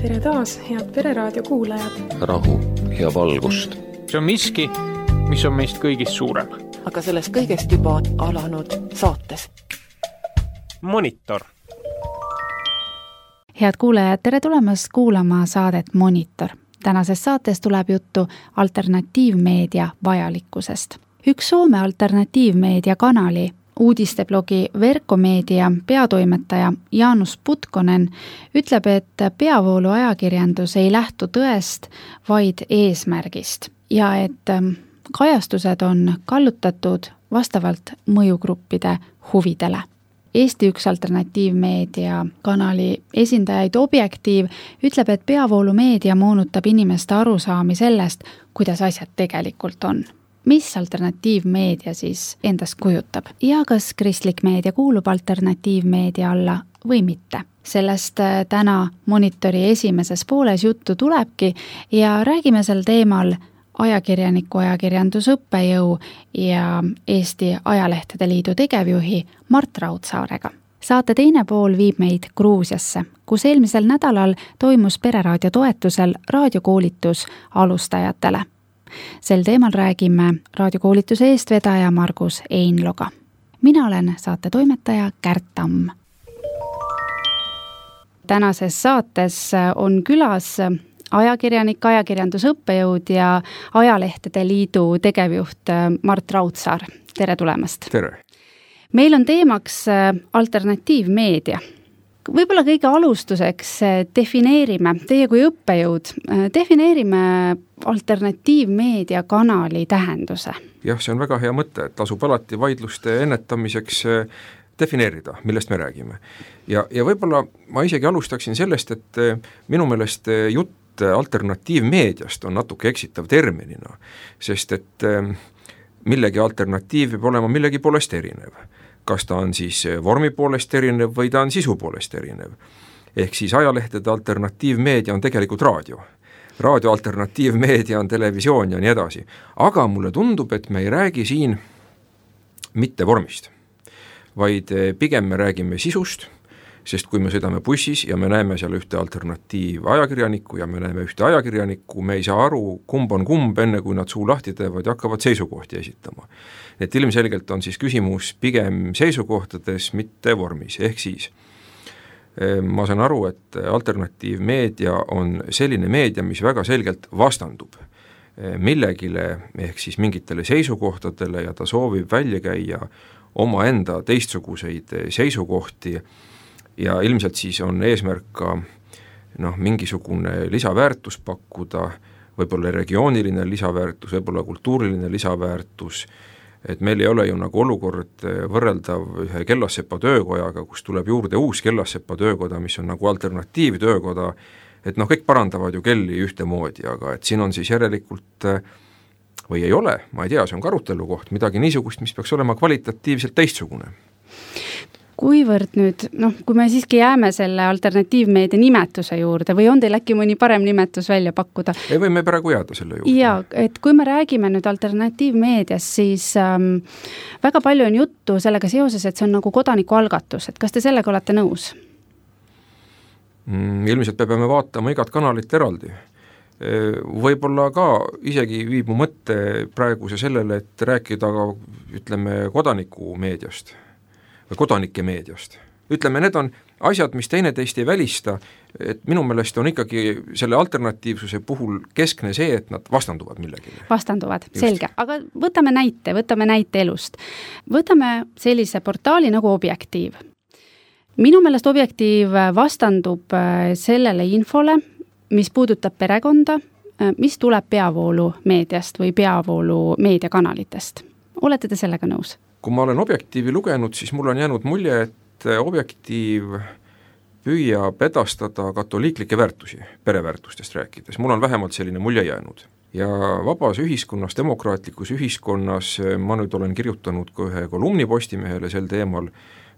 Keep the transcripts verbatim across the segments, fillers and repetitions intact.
tere taas, head Pereraadio kuulajad. Rahu ja valgust. See on miski, mis on meist kõigist suurem. Aga sellest kõigest juba alanud saates. Monitor. Head kuulajad, tere tulemast kuulama saadet Monitor. Tänases saates tuleb juttu alternatiivmeedia vajalikkusest. Üks Soome alternatiivmeedia kanali uudisteblogi Verkkomeedia peatoimetaja Jaanus Putkonen ütleb, et peavoolu ajakirjandus ei lähtu tõest, vaid eesmärgist ja et kajastused on kallutatud vastavalt mõjugruppide huvidele. Eesti üks alternatiivmeedia kanali esindajaid Objektiiv ütleb, et peavoolumeedia moonutab inimeste arusaami sellest, kuidas asjad tegelikult on. Mis alternatiivmeedia siis endast kujutab ja kas kristlik meedia kuulub alternatiivmeedia alla või mitte. Sellest täna Monitori esimeses pooles juttu tulebki ja räägime sel teemal ajakirjaniku ajakirjandusõppejõu ja Eesti Ajalehtede Liidu tegevjuhi Mart Raudsaarega. Saate teine pool viib meid Gruusiasse, kus eelmisel nädalal toimus Pereraadio toetusel raadiokoolitus alustajatele. Sel teemal räägime raadiokoolituse eestvedaja Margus Einloga. Mina olen saate toimetaja Kärt Tamm. Tänases saates on külas ajakirjanik, ajakirjandusõppejõud ja Ajalehtede Liidu tegevjuht Mart Raudsaar. Tere tulemast! Tere! Meil on teemaks alternatiivmeedia. Võib-olla kõige alustuseks defineerime, teie kui õppejõud, defineerime alternatiivmeedia kanali tähenduse. Jah, see on väga hea mõte, et tasub alati vaidluste ennetamiseks defineerida, millest me räägime. Ja, ja võib-olla ma isegi alustaksin sellest, et minu meelest jutt alternatiivmeediast on natuke eksitav terminina, sest et millegi alternatiiv peab olema millegi poolest erinev. Kas ta on siis vormi poolest erinev või ta on sisu poolest erinev. Ehk siis ajalehtede alternatiivmeedia on tegelikult raadio. Raadio alternatiivmeedia on televisioon ja nii edasi. Aga mulle tundub, et me ei räägi siin mitte vormist, vaid pigem me räägime sisust, sest kui me sõidame bussis ja me näeme seal ühte alternatiivajakirjanikku ja me näeme ühte ajakirjanikku, me ei saa aru, kumb on kumb, enne kui nad suu lahti teevad ja hakkavad seisukohti esitama. Et ilmselgelt on siis küsimus pigem seisukohtades, mitte vormis. Ehk siis ma saan aru, et alternatiivmeedia on selline meedia, mis väga selgelt vastandub millegile ehk siis mingitele seisukohtadele ja ta soovib välja käia oma enda teistsuguseid seisukohti ja ilmselt siis on eesmärk ka noh, mingisugune lisaväärtus pakkuda, võib-olla regiooniline lisaväärtus, võib-olla kultuuriline lisaväärtus, et meil ei ole ju nagu olukord võrreldav ühe Kellassepa töökojaga, kus tuleb juurde uus Kellassepa töökoda, mis on nagu alternatiivtöökoda, et noh, kõik parandavad ju kelli ühtemoodi, aga et siin on siis järelikult või ei ole, ma ei tea, see on ka arutelu koht, midagi niisugust, mis peaks olema kvalitatiivselt teistsugune. Kuivõrd nüüd, noh, kui me siiski jääme selle alternatiivmeedia nimetuse juurde või on teil äkki mõni parem nimetus välja pakkuda? Ei või me praegu jääda selle juurde. Ja, et kui me räägime nüüd alternatiivmeedias, siis ähm, väga palju on juttu sellega seoses, et see on nagu kodanikualgatus, et kas te sellega olete nõus? Mm, ilmselt me peame vaatama igat kanalit eraldi. Võib-olla ka isegi viib mu mõtte praeguse sellele, et rääkida ka, ütleme, kodanikumeediast või kodanike meediast. Ütleme, need on asjad, mis teineteist ei välista, et minu meelest on ikkagi selle alternatiivsuse puhul keskne see, et nad vastanduvad millegile. Vastanduvad, just. Selge. Aga võtame näite, võtame näite elust. Võtame sellise portaali nagu Objektiiv. Minu meelest Objektiiv vastandub sellele infole, mis puudutab perekonda, mis tuleb peavoolu meediast või peavoolu meediakanalitest. Olete te sellega nõus? Kui ma olen Objektiivi lugenud, siis mul on jäänud mulje, et Objektiiv püüab edastada katoliiklikke väärtusi, pereväärtustest rääkides. Mul on vähemalt selline mulje jäänud. Ja vabas ühiskonnas, demokraatlikus ühiskonnas ma nüüd olen kirjutanud ka ühe kolumni Postimehele sel teemal,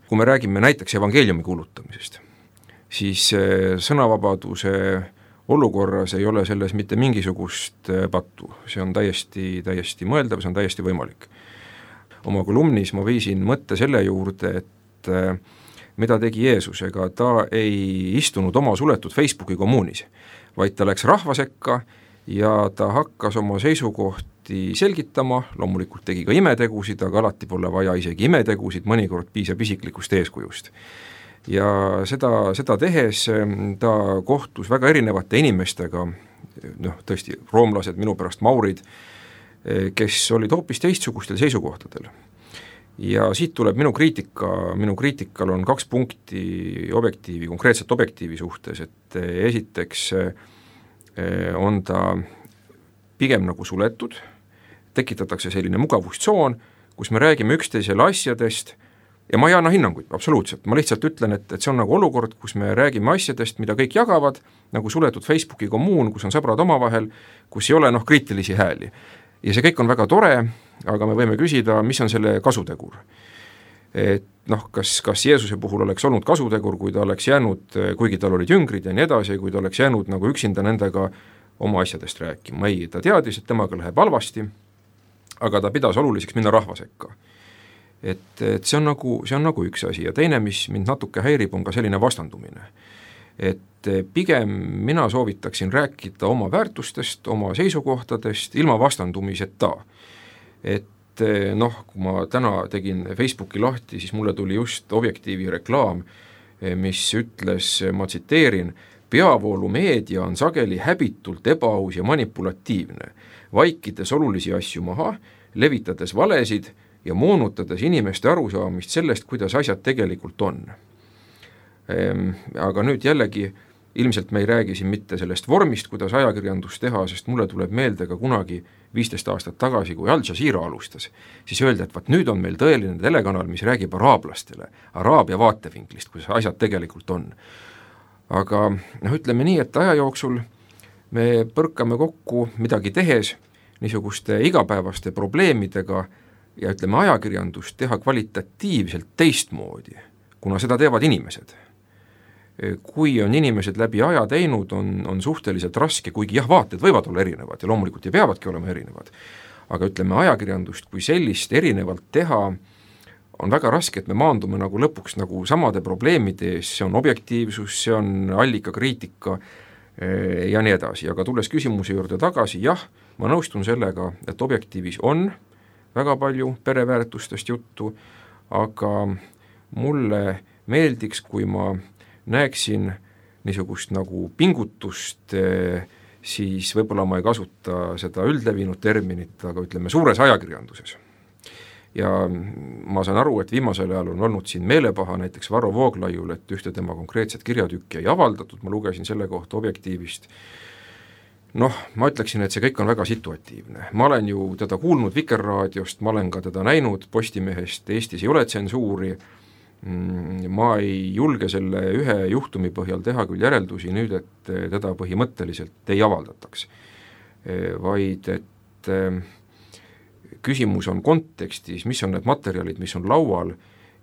kui me räägime näiteks evangeeliumi kuulutamisest, siis sõnavabaduse olukorras ei ole selles mitte mingisugust pattu. See on täiesti, täiesti mõeldav, see on täiesti võimalik. Oma kolumnis ma viisin mõtte selle juurde, et mida tegi Jeesus, ega ta ei istunud oma suletud Facebooki kommuunis, vaid ta läks rahva sekka ja ta hakkas oma seisukohti selgitama, loomulikult tegi ka imetegusid, aga alati pole vaja isegi imetegusid, mõnikord piisab isiklikust eeskujust. Ja seda, seda tehes ta kohtus väga erinevate inimestega, noh tõesti, roomlased, minu pärast maurid, kes olid hoopis teistsugustel seisukohtadel. Ja siit tuleb minu kriitika, minu kriitikal on kaks punkti objektiivi, konkreetselt objektiivi suhtes, et esiteks on ta pigem nagu suletud, tekitatakse selline mugavustsoon, kus me räägime üksteisele asjadest ja ma ei anna hinnanguid, absoluutselt, ma lihtsalt ütlen, et, et see on nagu olukord, kus me räägime asjadest, mida kõik jagavad, nagu suletud Facebooki kommuun, kus on sõbrad omavahel, kus ei ole noh kriitilisi hääli. Ja see kõik on väga tore, aga me võime küsida, mis on selle kasutegur. Et noh, kas, kas Jeesuse puhul oleks olnud kasutegur, kui ta oleks jäänud, kuigi tal olid jüngrid ja nii edasi, kui ta oleks jäänud nagu üksinda nendega oma asjadest rääkima. Ei, ta teadis, et temaga läheb halvasti, aga ta pidas oluliseks minna rahva sekka. Et, et see on nagu, see on nagu üks asi ja teine, mis mind natuke häirib, on ka selline vastandumine. Et pigem mina soovitaksin rääkida oma väärtustest, oma seisukohtadest, ilma vastandumiseta. Et noh, kui ma täna tegin Facebooki lahti, siis mulle tuli just Objektiivi reklaam, mis ütles, ma tsiteerin, peavoolumeedia on sageli häbitult ebaaus ja manipulatiivne, vaikides olulisi asju maha, levitades valesid ja moonutades inimeste arusaamist sellest, kuidas asjad tegelikult on. Aga nüüd jällegi, ilmselt me ei räägi siin mitte sellest vormist, kuidas ajakirjandust teha, sest mulle tuleb meelde ka kunagi viisteist aastat tagasi, kui Al Jazeera alustas, siis öelda, et vaat nüüd on meil tõeline telekanal, mis räägib araablastele, araabia vaatevinklist, kuidas asjad tegelikult on. Aga noh, ütleme nii, et aja jooksul me põrkame kokku midagi tehes niisuguste igapäevaste probleemidega ja ütleme ajakirjandust teha kvalitatiivselt teistmoodi, kuna seda teevad inimesed. Kui on inimesed läbi aja teinud, on, on suhteliselt raske, kuigi jah, vaated võivad olla erinevad ja loomulikult ja peavadki olema erinevad, aga ütleme ajakirjandust kui sellist erinevalt teha on väga raske, et me maandume nagu lõpuks nagu samade probleemide ees, see on objektiivsus, see on allikakriitika ja nii edasi, aga tulles küsimuse juurde tagasi, jah, ma nõustun sellega, et objektiivis on väga palju pereväärtustest juttu, aga mulle meeldiks, kui ma näeksin niisugust nagu pingutust, siis võib-olla ma ei kasuta seda üldlevinud terminit, aga ütleme suures ajakirjanduses. Ja ma saan aru, et viimasel ajal on olnud siin meelepaha näiteks Varro Vooglaiul, et ühte tema konkreetset kirjatükki ei avaldatud, ma lugesin selle kohta Objektiivist. Noh, ma ütleksin, et see kõik on väga situatiivne. Ma olen ju teda kuulnud Vikerraadiost, ma olen ka teda näinud Postimehest, Eestis ei ole tsensuuri, ma ei julge selle ühe juhtumi põhjal teha küll järeldusi nüüd, et teda põhimõtteliselt ei avaldataks, vaid et küsimus on kontekstis, mis on need materjalid, mis on laual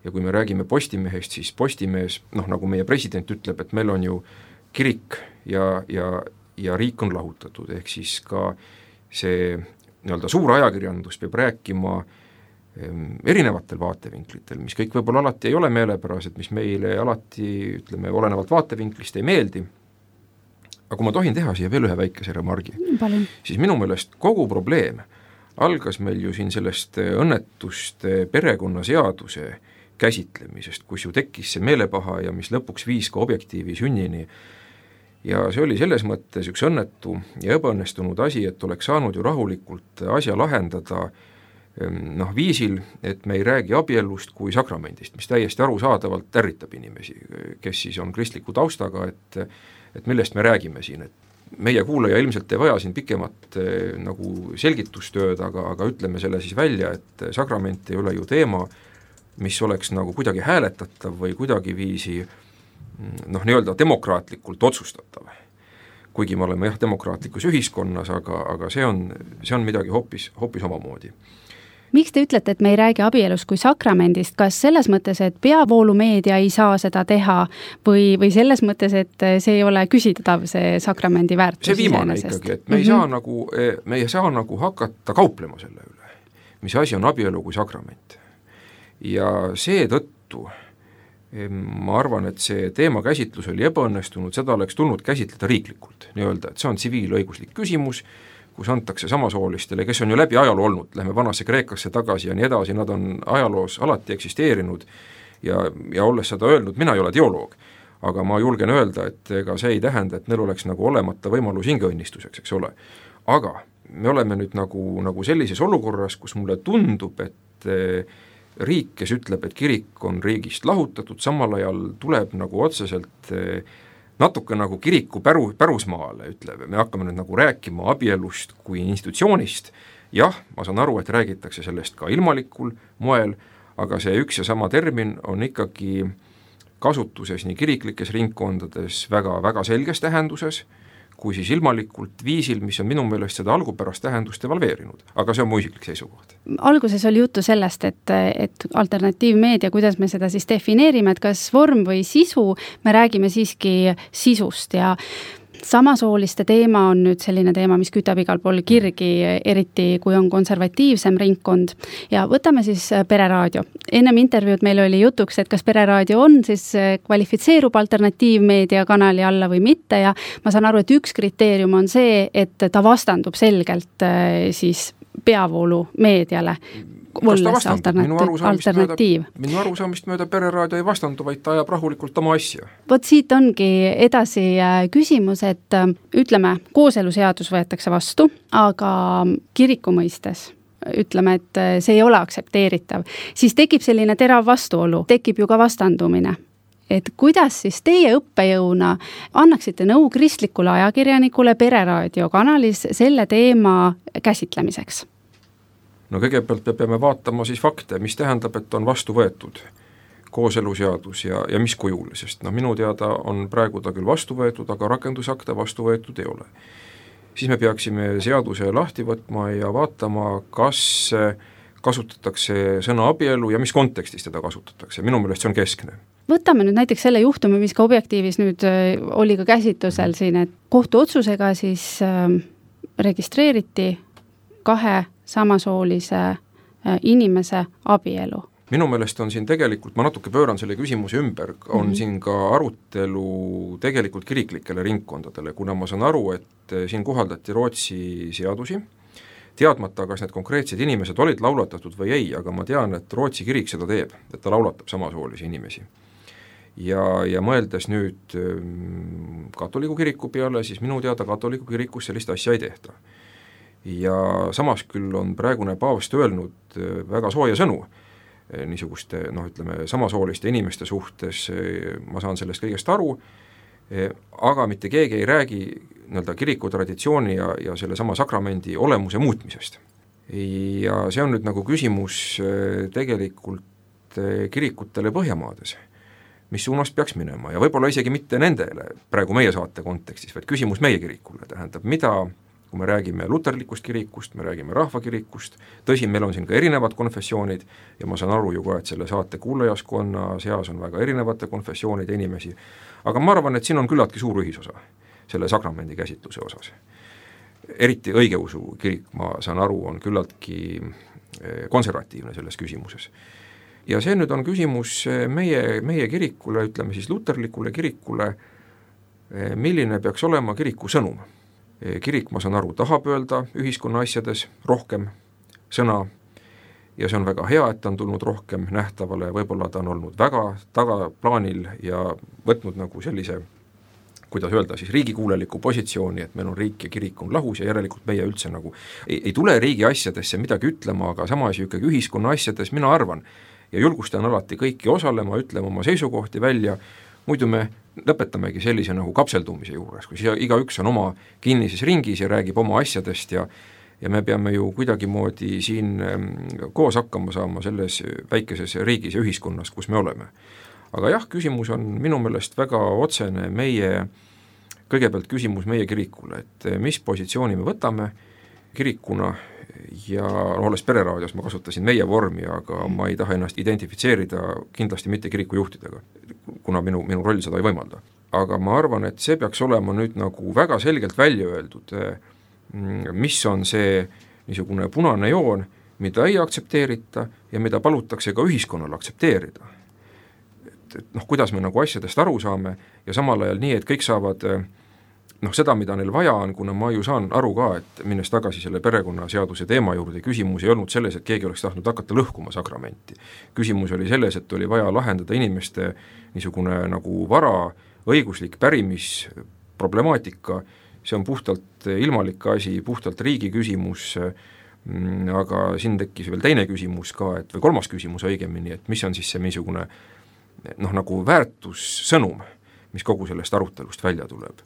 ja kui me räägime Postimehest, siis Postimees, noh nagu meie president ütleb, et meil on ju kirik ja, ja, ja riik on lahutatud, ehk siis ka see nii-öelda suur ajakirjandus peab rääkima erinevatel vaatevinklitel, mis kõik võib-olla alati ei ole meelepärased, mis meile alati, ütleme, olenevalt vaatevinklist ei meeldi. Aga kui ma tohin teha siia veel ühe väikese remargi, Palun. Siis minu meelest kogu probleem algas meil ju siin sellest õnnetust perekonnaseaduse käsitlemisest, kus ju tekkis see meelepaha ja mis lõpuks viis ka Objektiivi sünnini. Ja see oli selles mõttes üks õnnetu ja ebaõnnestunud asi, et oleks saanud ju rahulikult asja lahendada noh, viisil, et me ei räägi abielust kui sakramendist, mis täiesti arusaadavalt ärritab inimesi, kes siis on kristliku taustaga, et, et millest me räägime siin, et meie kuulaja ilmselt ei vaja siin pikemat nagu selgitustööd, aga, aga ütleme selle siis välja, et sakrament ei ole ju teema, mis oleks nagu kuidagi hääletatav või kuidagi viisi noh, nii-öelda demokraatlikult otsustatav. Kuigi me oleme jah demokraatlikus ühiskonnas, aga, aga see on, see on midagi hoopis, hoopis omamoodi. Miks te ütlete, et me ei räägi abielust kui sakramendist, kas selles mõttes, et peavoolumeedia ei saa seda teha või, või selles mõttes, et see ei ole küsitav, see sakramendi väärtus? See viimane ikkagi, et me ei, mm-hmm. saa nagu, me ei saa nagu hakata kauplema selle üle, mis asi on abielu kui sakrament. Ja seetõttu ma arvan, et see teema käsitlus oli ebaõnnestunud, seda oleks tulnud käsitleda riiklikult, nii-öelda, et see on tsiviilõiguslik küsimus, kus antakse samasoolistele, kes on ju läbi ajaloo olnud, lähme vanasse Kreekasse tagasi ja nii edasi, nad on ajaloos alati eksisteerinud ja, ja olles seda öelnud, mina ei ole teoloog, aga ma julgen öelda, et ega see ei tähenda, et neil oleks nagu olemata võimalus hingeõnnistuseks, eks ole. Aga me oleme nüüd nagu, nagu sellises olukorras, kus mulle tundub, et riik, kes ütleb, et kirik on riigist lahutatud, samal ajal tuleb nagu otseselt natuke nagu kiriku päru, pärusmaale, ütleb, me hakkame nüüd nagu rääkima abielust kui institutsioonist, jah, ma saan aru, et räägitakse sellest ka ilmalikul moel, aga see üks ja sama termin on ikkagi kasutuses nii kiriklikes ringkondades väga, väga selges tähenduses, kui siis ilmalikult viisil, mis on minu meelest seda algupärast tähendust evalveerinud. Aga see on mu isiklik seisukoht. Alguses oli juttu sellest, et, et alternatiivmeedia, kuidas me seda siis defineerime, et kas vorm või sisu, me räägime siiski sisust ja samasooliste teema on nüüd selline teema, mis kütab igal pool kirgi, eriti kui on konservatiivsem ringkond. Ja võtame siis Pereraadio. Ennem intervjuud meil oli jutuks, et kas Pereraadio on siis kvalifitseerub alternatiivmeedia kanali alla või mitte ja ma saan aru, et üks kriteerium on see, et ta vastandub selgelt siis peavoolu meediale. Kas ta vastandub? Minu arusaamist, mööda, minu arusaamist mööda Pereraadio ei vastandu, vaid ta ajab rahulikult oma asja. Vot siit ongi edasi küsimus, et ütleme, kooseluseadus võetakse vastu, aga kiriku mõistes ütleme, et see ei ole aktsepteeritav, siis tekib selline terav vastuolu, tekib ju ka vastandumine. Et kuidas siis teie õppejõuna annaksite nõu kristlikule ajakirjanikule Pereraadio kanalis selle teema käsitlemiseks? No kõigepealt me peame vaatama siis fakte, mis tähendab, et on vastu võetud kooseluseadus ja, ja mis kujul, sest no minu teada on praegu ta küll vastu võetud, aga rakendusakte vastu võetud ei ole. Siis me peaksime seaduse lahti võtma ja vaatama, kas kasutatakse sõna abielu ja mis kontekstis teda kasutatakse, minu meelest see on keskne. Võtame nüüd näiteks selle juhtumi, mis ka Objektiivis nüüd oli ka käsitlusel siin, et kohtuotsusega siis registreeriti kahe samasoolise inimese abielu. Minu meelest on siin tegelikult, ma natuke pööran selle küsimuse ümber, on mm-hmm. siin ka arutelu tegelikult kiriklikele ringkondadele, kuna ma saan aru, et siin kohaldati Rootsi seadusi, teadmata, kas need konkreetsed inimesed olid laulatatud või ei, aga ma tean, et Rootsi kirik seda teeb, et ta laulatab samasoolisi inimesi. Ja, ja mõeldes nüüd katoliku kiriku peale, siis minu teada katoliku kirikus sellist asja ei tehta. Ja samas küll on praegune paavst öelnud väga sooja sõnu niisuguste, noh ütleme, samasooliste inimeste suhtes, ma saan sellest kõigest aru, aga mitte keegi ei räägi nii-öelda kiriku traditsiooni ja, ja selle sama sakramendi olemuse muutmisest. Ja see on nüüd nagu küsimus tegelikult kirikutele Põhjamaades, mis suunas peaks minema ja võib-olla isegi mitte nendele praegu meie saate kontekstis, vaid küsimus meie kirikule, tähendab, mida kui me räägime luterlikust kirikust, me räägime rahvakirikust, tõsi, meil on siin ka erinevad konfessioonid ja ma saan aru ju ka, et selle saate kuulajaskonna seas on väga erinevate konfessioonide inimesi, aga ma arvan, et siin on küllaltki suur ühisosa selle sakramendi käsitluse osas. Eriti õigeusu kirik, ma saan aru, on küllaltki konservatiivne selles küsimuses. Ja see nüüd on küsimus meie, meie kirikule, ütleme siis luterlikule kirikule, milline peaks olema kiriku sõnum. Kirik, ma saan aru, tahab öelda ühiskonna asjades rohkem sõna ja see on väga hea, et ta on tulnud rohkem nähtavale, võib-olla ta on olnud väga tagaplaanil ja võtnud nagu sellise, kuidas öelda, siis riigikuuleliku positsiooni, et meil on riik ja kirik on lahus ja järelikult meie üldse nagu ei, ei tule riigi asjadesse midagi ütlema, aga samas ju ikkagi ühiskonna asjades mina arvan ja julgustan alati kõiki osalema, ütlema oma seisukohti välja, muidu me lõpetamegi sellise nagu kapseldumise juures, kus igaüks on oma kinnises ringis ja räägib oma asjadest ja, ja me peame ju kuidagimoodi siin koos hakkama saama selles väikeses riigis ja ühiskonnas, kus me oleme. Aga jah, küsimus on minu meelest väga otsene meie, kõigepealt küsimus meie kirikule, et mis positsiooni me võtame kirikuna ja olles Pereraadios ma kasutasin meie vormi, aga ma ei taha ennast identifitseerida kindlasti mitte kirikujuhtidega, kuna minu, minu roll seda ei võimalda. Aga ma arvan, et see peaks olema nüüd nagu väga selgelt välja öeldud, mis on see niisugune punane joon, mida ei aktsepteerita ja mida palutakse ka ühiskonnal aktsepteerida. et noh, kuidas me nagu asjadest aru saame ja samal ajal nii, et kõik saavad noh, seda, mida neil vaja on, kuna ma ju saan aru ka, et minnes tagasi selle perekonnaseaduse teema juurde, küsimus ei olnud selles, et keegi oleks tahtnud hakata lõhkuma sakramenti. Küsimus oli selles, et oli vaja lahendada inimeste niisugune nagu vara, õiguslik pärimis, problemaatika, see on puhtalt ilmalik asi, puhtalt riigi küsimus, aga siin tekkis veel teine küsimus ka, et või kolmas küsimus õigemini, et mis on siis see niisugune noh, nagu väärtussõnum, mis kogu sellest arutelust välja tuleb.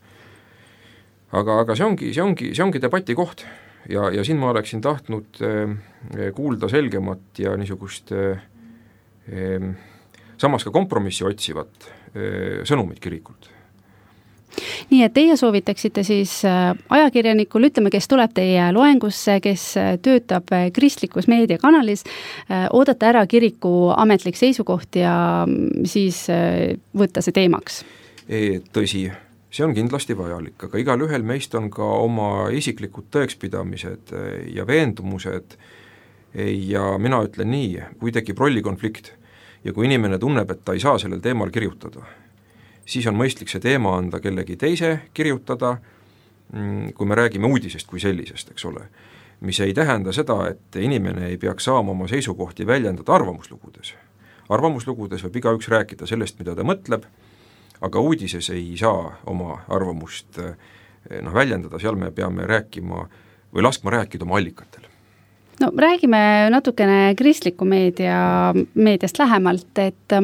Aga, aga see ongi, see ongi, see ongi debati koht ja, ja siin ma oleksin tahtnud eh, kuulda selgemat ja niisugust eh, samas ka kompromissi otsivat eh, sõnumit kirikult. Nii et teie soovitaksite siis ajakirjanikul, ütleme, kes tuleb teie loengusse, kes töötab kristlikus meediakanalis, oodata ära kiriku ametlik seisukoht ja siis võtta see teemaks? E, tõsi, see on kindlasti vajalik, aga igal ühel meist on ka oma isiklikud tõekspidamised ja veendumused ja mina ütlen nii, kui tekib rollikonflikt ja kui inimene tunneb, et ta ei saa sellel teemal kirjutada, siis on mõistlik see teema anda kellegi teise kirjutada, kui me räägime uudisest kui sellisest, eks ole, mis ei tähenda seda, et inimene ei peaks saama oma seisukohti väljendada arvamuslugudes. Arvamuslugudes võib igaüks rääkida sellest, mida ta mõtleb, aga uudises ei saa oma arvamust noh, väljendada, seal me peame rääkima või laskma rääkida oma allikatel. No räägime natukene kristliku meedia, meediast lähemalt, et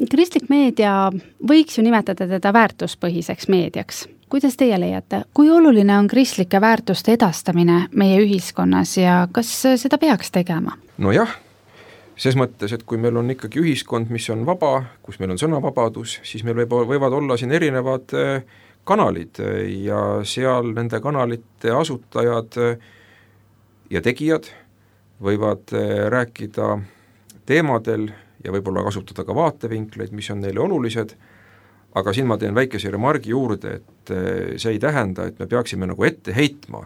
kristlik meedia võiks ju nimetada teda väärtuspõhiseks meediaks. Kuidas teie leiate, kui oluline on kristlike väärtuste edastamine meie ühiskonnas ja kas seda peaks tegema? No jah, ses mõttes, et kui meil on ikkagi ühiskond, mis on vaba, kus meil on sõnavabadus, siis meil võib, võivad olla siin erinevad kanalid ja seal nende kanalite asutajad ja tegijad võivad rääkida teemadel ja võib-olla kasutada ka vaatevinkleid, mis on neile olulised, aga siin ma teen väikese remargi juurde, et see ei tähenda, et me peaksime nagu ette heitma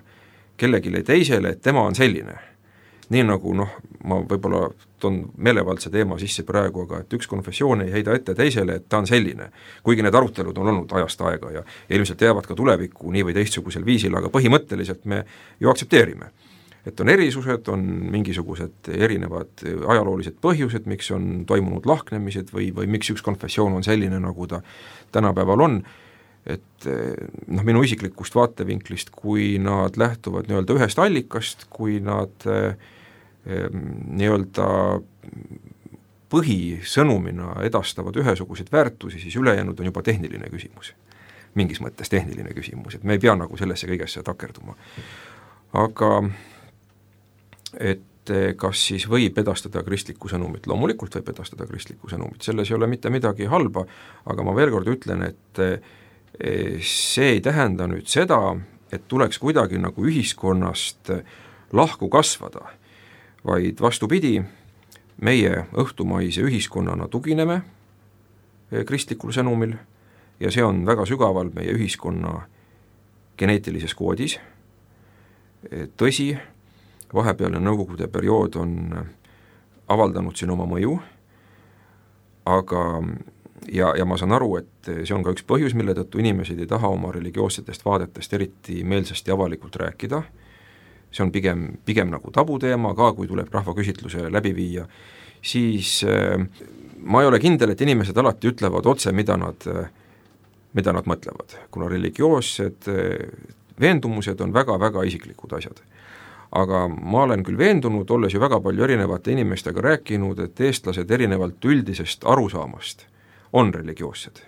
kellegile teisele, et tema on selline. Nii nagu noh, ma võib-olla toon meelevaldse teema sisse praegu, aga et üks konfessioon ei heida ette teisele, et ta on selline, kuigi need arutelud on olnud ajast aega ja, ja ilmselt jäävad ka tulevikku nii või teistsugusel viisil, aga põhimõtteliselt me ju aktsepteerime. Et on erisused, on mingisugused erinevad ajaloolised põhjused, miks on toimunud lahknemised või, või miks üks konfessioon on selline, nagu ta tänapäeval on, et noh, minu isiklikust vaatevinklist, kui nad lähtuvad nii-öelda ühest allikast, kui nad eh, nii-öelda põhisõnumina edastavad ühesuguseid väärtusi, siis ülejäänud on juba tehniline küsimus. Mingis mõttes tehniline küsimus, et me ei pea nagu sellesse kõigesse takerduma. Aga et kas siis võib edastada kristlikku sõnumit, loomulikult võib edastada kristlikku sõnumit, selles ei ole mitte midagi halba, aga ma veel kord ütlen, et see ei tähenda nüüd seda, et tuleks kuidagi nagu ühiskonnast lahku kasvada, vaid vastupidi, meie õhtumaise ühiskonnana tugineme kristlikul sõnumil ja see on väga sügaval meie ühiskonna geneetilises koodis, tõsi, vahepealne nõukogude periood on avaldanud siin oma mõju, aga ja, ja ma saan aru, et see on ka üks põhjus, mille tõttu inimesed ei taha oma religioossetest vaadetest eriti meelsasti avalikult rääkida, see on pigem, pigem nagu tabuteema, ka kui tuleb rahvaküsitluse läbi viia, siis äh, ma ei ole kindel, et inimesed alati ütlevad otse, mida nad, mida nad mõtlevad, kuna religioossed veendumused on väga-väga isiklikud asjad. Aga ma olen küll veendunud, olles ju väga palju erinevate inimestega rääkinud, et eestlased erinevalt üldisest arusaamast on religioossed.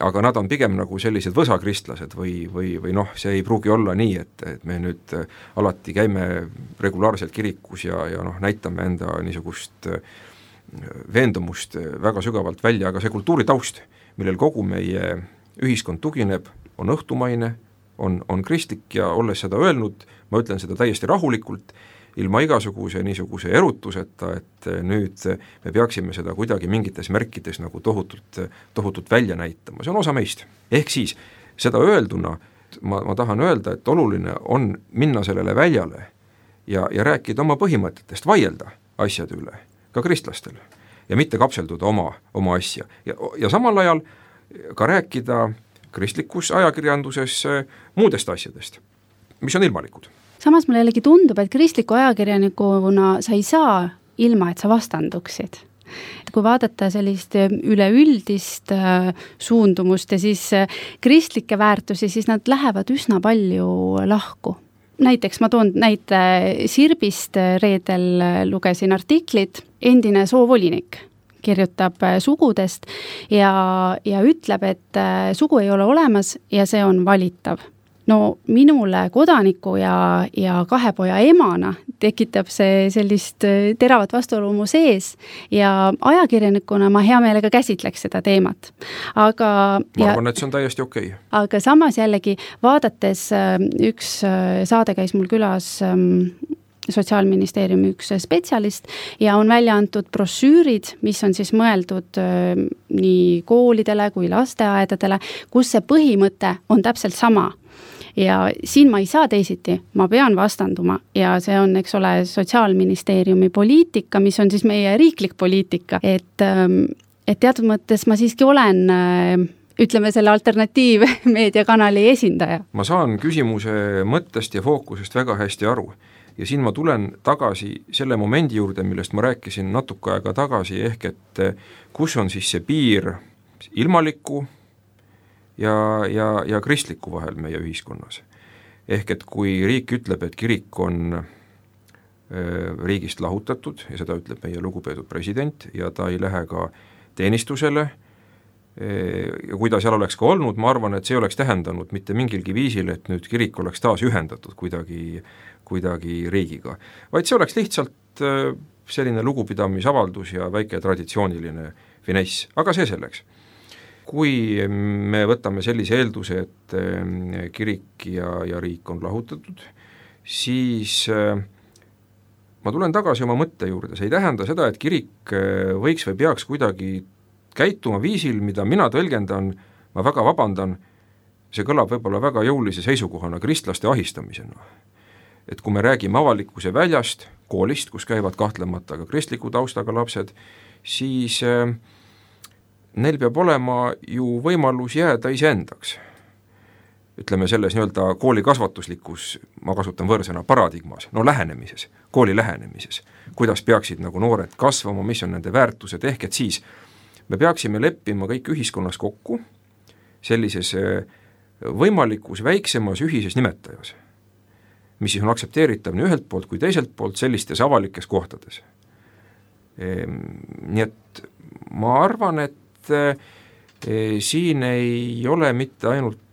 Aga nad on pigem nagu sellised võsakristlased või, või, või noh, see ei pruugi olla nii, et, et me nüüd alati käime regulaarselt kirikus ja, ja noh, näitame enda niisugust veendumust väga sügavalt välja, aga see kultuuritaust, millel kogu meie ühiskond tugineb, on õhtumaine, on, on kristlik ja olles seda öelnud, ma ütlen seda täiesti rahulikult, ilma igasuguse niisuguse erutuseta, et nüüd me peaksime seda kuidagi mingites märkides nagu tohutult, tohutult välja näitama, see on osa meist. Ehk siis seda öelduna ma, ma tahan öelda, et oluline on minna sellele väljale ja, ja rääkida oma põhimõtetest, vaielda asjade üle, ka kristlastel. ja mitte kapselduda oma, oma asja. Ja, ja samal ajal ka rääkida kristlikus ajakirjanduses muudest asjadest, mis on ilmalikud. Samas mulle jällegi tundub, et kristliku ajakirjanikuna sa ei saa ilma, et sa vastanduksid. Kui vaadata sellist üleüldist suundumust ja siis kristlikke väärtusi, siis nad lähevad üsna palju lahku. Näiteks ma toon näite Sirbist, reedel lugesin artiklit, endine soovolinik kirjutab sugudest ja, ja ütleb, et sugu ei ole olemas ja see on valitav. No minule kodaniku ja, ja kahe poja emana tekitab see sellist teravat vastuolu mu sees ja ajakirjanikuna ma hea meelega käsitleks seda teemat. Aga, ma arvan, et see on täiesti okei. Okay. Aga samas jällegi vaadates üks saade käis mul külas Sotsiaalministeeriumi üks spetsialist ja on välja antud brošüürid, mis on siis mõeldud nii koolidele kui lasteaedadele, kus see põhimõte on täpselt sama. Ja siin ma ei saa teisiti, ma pean vastanduma ja see on, eks ole, Sotsiaalministeeriumi poliitika, mis on siis meie riiklik poliitika, et, et teatud mõttes ma siiski olen, ütleme, selle alternatiivmeediakanali esindaja. Ma saan küsimuse mõttest ja fookusest väga hästi aru ja siin ma tulen tagasi selle momendi juurde, millest ma rääkisin natuke aega tagasi, ehk et kus on siis see piir ilmaliku ja, ja, ja kristliku vahel meie ühiskonnas. Ehk et kui riik ütleb, et kirik on riigist lahutatud ja seda ütleb meie lugupeetud president ja ta ei lähe ka teenistusele ja kui ta seal oleks ka olnud, ma arvan, et see oleks tähendanud mitte mingilgi viisil, et nüüd kirik oleks taas ühendatud kuidagi, kuidagi riigiga, vaid see oleks lihtsalt selline lugupidamisavaldus ja väike traditsiooniline finess, aga see selleks. Kui me võtame sellise eelduse, et kirik ja, ja riik on lahutatud, siis ma tulen tagasi oma mõtte juurde, see ei tähenda seda, et kirik võiks või peaks kuidagi käituma viisil, mida mina tõlgendan, ma väga vabandan, see kõlab võib-olla väga jõulise seisukohana kristlaste ahistamisena. Et kui me räägime avalikkuse väljast, koolist, kus käivad kahtlemata ka kristliku taustaga lapsed, siis neil peab olema ju võimalus jääda iseendaks. Ütleme selles nii-öelda kooli kasvatuslikus, ma kasutan võõrsõna, paradigmas, no lähenemises, kooli lähenemises, kuidas peaksid nagu noored kasvama, mis on nende väärtused, ehk et siis me peaksime leppima kõik ühiskonnas kokku sellises võimalikus väiksemas ühises nimetajas, mis siis on aktsepteeritav nii ühelt poolt kui teiselt poolt sellistes avalikes kohtades. Nii et ma arvan, et siin ei ole mitte ainult,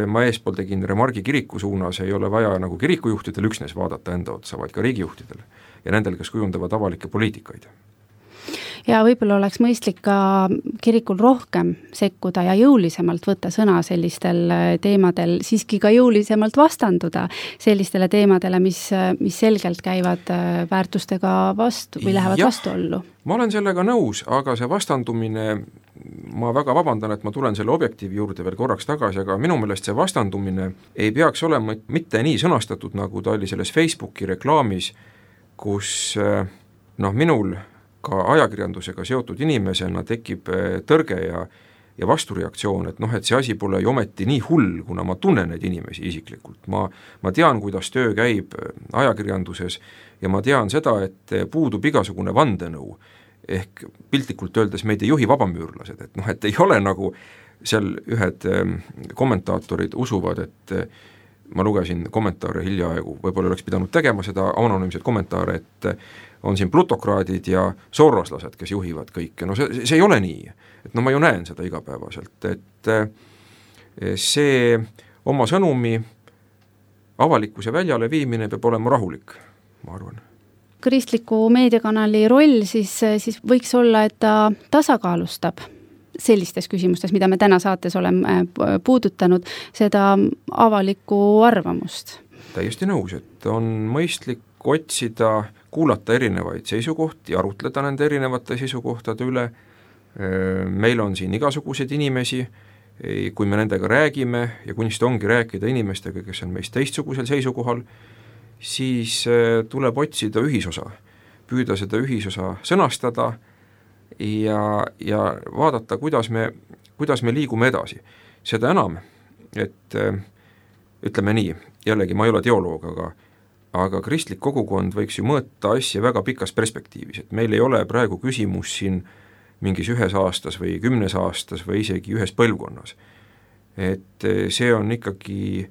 ma eespool tegin remargi kiriku suunas, ei ole vaja nagu kirikujuhtidel üksnes vaadata enda otsa, vaid ka riigijuhtidel ja nendel, kes kujundavad avalikke poliitikaid. Ja võib-olla oleks mõistlik ka kirikul rohkem sekkuda ja jõulisemalt võtta sõna sellistel teemadel, siiski ka jõulisemalt vastanduda sellistele teemadele, mis, mis selgelt käivad väärtustega vastu või lähevad ja, vastuollu. Ma olen sellega nõus, aga see vastandumine, ma väga vabandan, et ma tulen selle objektiivi juurde veel korraks tagasi, aga minu meelest see vastandumine ei peaks olema mitte nii sõnastatud, nagu ta oli selles Facebooki reklaamis, kus noh, minul ka ajakirjandusega seotud inimesena tekib tõrge ja, ja vastureaktsioon, et noh, et see asi pole ju ometi nii hull, kuna ma tunnen neid inimesi isiklikult. Ma, ma tean, kuidas töö käib ajakirjanduses ja ma tean seda, et puudub igasugune vandenõu, ehk piltlikult öeldes meid ei juhi vabamüürlased, et noh, et ei ole nagu seal ühed kommentaatorid usuvad, et ma lugesin kommentaare hiljaaegu, võib-olla oleks pidanud tegema seda anonüümseid kommentaare, et on siin plutokraadid ja soroslased, kes juhivad kõike, no see, see ei ole nii, et no ma ju näen seda igapäevaselt, et see oma sõnumi avalikkuse väljale viimine peab olema rahulik, ma arvan. Kristliku meediakanali roll siis, siis võiks olla, et ta tasakaalustab sellistes küsimustes, mida me täna saates oleme puudutanud, seda avalikku arvamust. Täiesti nõus, et on mõistlik otsida, kuulata erinevaid seisukohti, arutleda nende erinevate seisukohtade üle. Meil on siin igasuguseid inimesi, kui me nendega räägime ja kunst ongi rääkida inimestega, kes on meist teistsugusel seisukohal, siis tuleb otsida ühisosa, püüda seda ühisosa sõnastada ja, ja vaadata, kuidas me, kuidas me liigume edasi. Seda enam, et ütleme nii, jällegi ma ei ole teoloog, aga aga kristlik kogukond võiks ju mõõta asja väga pikas perspektiivis, et meil ei ole praegu küsimus siin mingis ühes aastas või kümnes aastas või isegi ühes põlvkonnas. Et see on ikkagi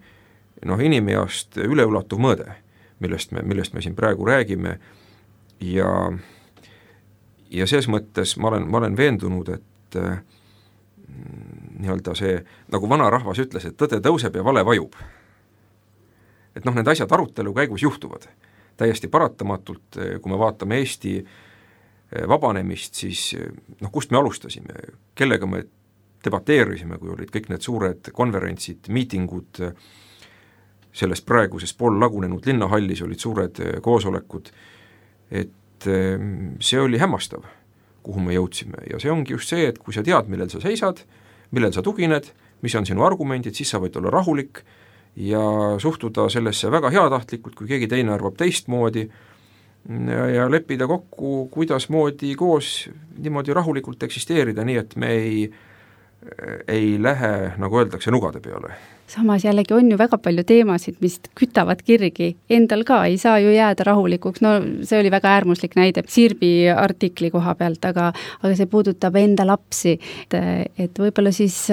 noh, inimeast üleulatuv mõõde, millest me, millest me siin praegu räägime ja, ja selles mõttes ma olen, ma olen veendunud, et nii-öelda see, nagu vana rahvas ütles, et tõde tõuseb ja vale vajub. Et noh, need asjad arutelu käigus juhtuvad täiesti paratamatult, kui me vaatame Eesti vabanemist, siis noh, kust me alustasime, kellega me debateerisime, kui olid kõik need suured konverentsid, miitingud, selles praeguses pool lagunenud linnahallis olid suured koosolekud, et see oli hämmastav, kuhu me jõudsime ja see ongi just see, et kui sa tead, millel sa seisad, millel sa tugined, mis on sinu argumendid, siis sa võid olla rahulik ja suhtuda sellesse väga heatahtlikult, kui keegi teine arvab teistmoodi ja, ja leppida kokku, kuidas moodi koos niimoodi rahulikult eksisteerida, nii et me ei, ei lähe, nagu öeldakse, nugade peale. Samas jällegi on ju väga palju teemasid, mis kütavad kirgi. Endal ka ei saa ju jääda rahulikuks. No see oli väga äärmuslik näide Sirbi artikli koha pealt, aga, aga see puudutab enda lapsi. Et, et võib-olla siis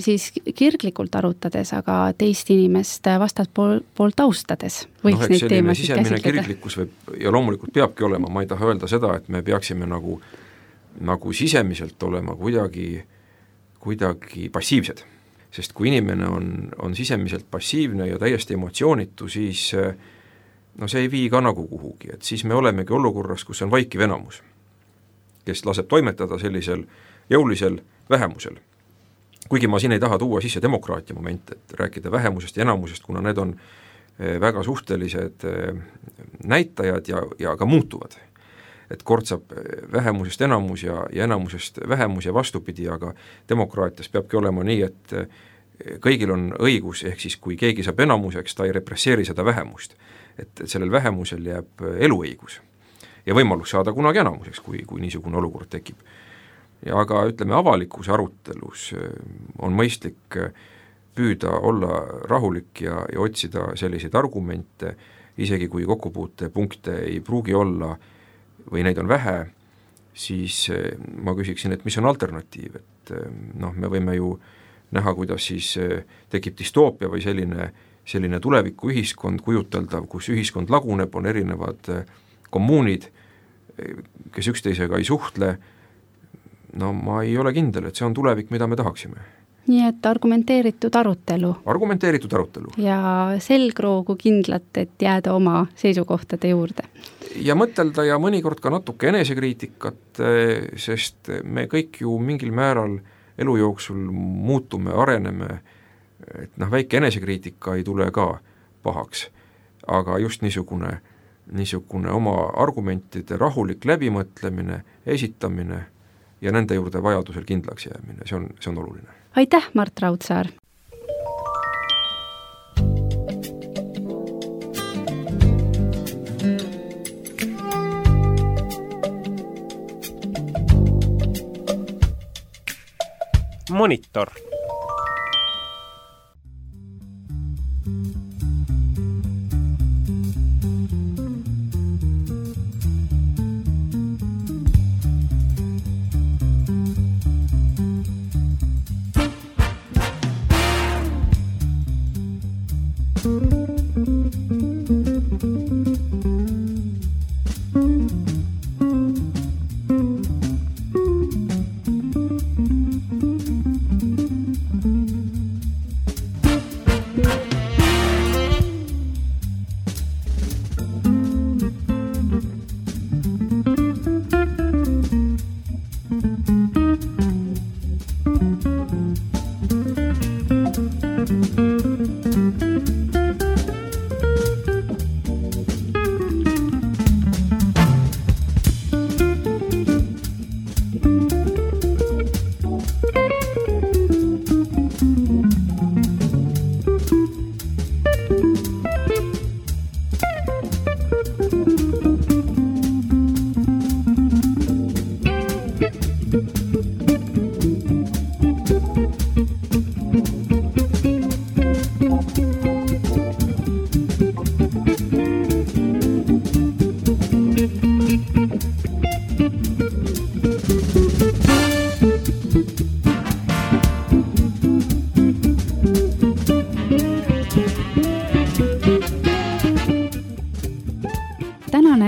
siis kirglikult arutades, aga teist inimest vastalt pool, poolt austades võiks no, neid teemasid käsitleda. Kirglikkus võib, ja loomulikult peabki olema, ma ei taha öelda seda, et me peaksime nagu, nagu sisemiselt olema kuidagi, kuidagi passiivsed, sest kui inimene on, on sisemiselt passiivne ja täiesti emotsioonitu, siis no see ei vii ka nagu kuhugi, et siis me olemegi olukorras, kus on vaikiv enamus, kes laseb toimetada sellisel jõulisel vähemusel. Kuigi ma siin ei taha tuua sisse demokraatia moment, et rääkida vähemusest ja enamusest, kuna need on väga suhtelised näitajad ja, ja ka muutuvad. Et kord saab vähemusest enamus ja, ja enamusest vähemus ja vastupidi, aga demokraatias peabki olema nii, et kõigil on õigus, ehk siis kui keegi saab enamuseks, ta ei represseeri seda vähemust. Et sellel vähemusel jääb eluõigus ja võimalus saada kunagi enamuseks, kui, kui niisugune olukord tekib. Ja aga ütleme, avalikus arutelus on mõistlik püüda olla rahulik ja, ja otsida selliseid argumente, isegi kui kokkupuute punkte ei pruugi olla või neid on vähe, siis ma küsiksin, et mis on alternatiiv, et noh, me võime ju näha, kuidas siis tekib distoopia või selline, selline tuleviku ühiskond kujuteldav, kus ühiskond laguneb, on erinevad kommuunid, kes üksteisega ei suhtle. No ma ei ole kindel, et see on tulevik, mida me tahaksime. Nii et argumenteeritud arutelu. Argumenteeritud arutelu. Ja selgroogu kindlat, et jääda oma seisukohtade juurde. Ja mõtelda ja mõnikord ka natuke enesekriitikat, sest me kõik ju mingil määral elu jooksul muutume, areneme, et noh, väike enesekriitika ei tule ka pahaks, aga just niisugune, niisugune oma argumentide rahulik läbimõtlemine, esitamine ja nende juurde vajadusel kindlaks jäämine, see on, see on oluline. Aitäh, Mart Raudsaar! Monitor.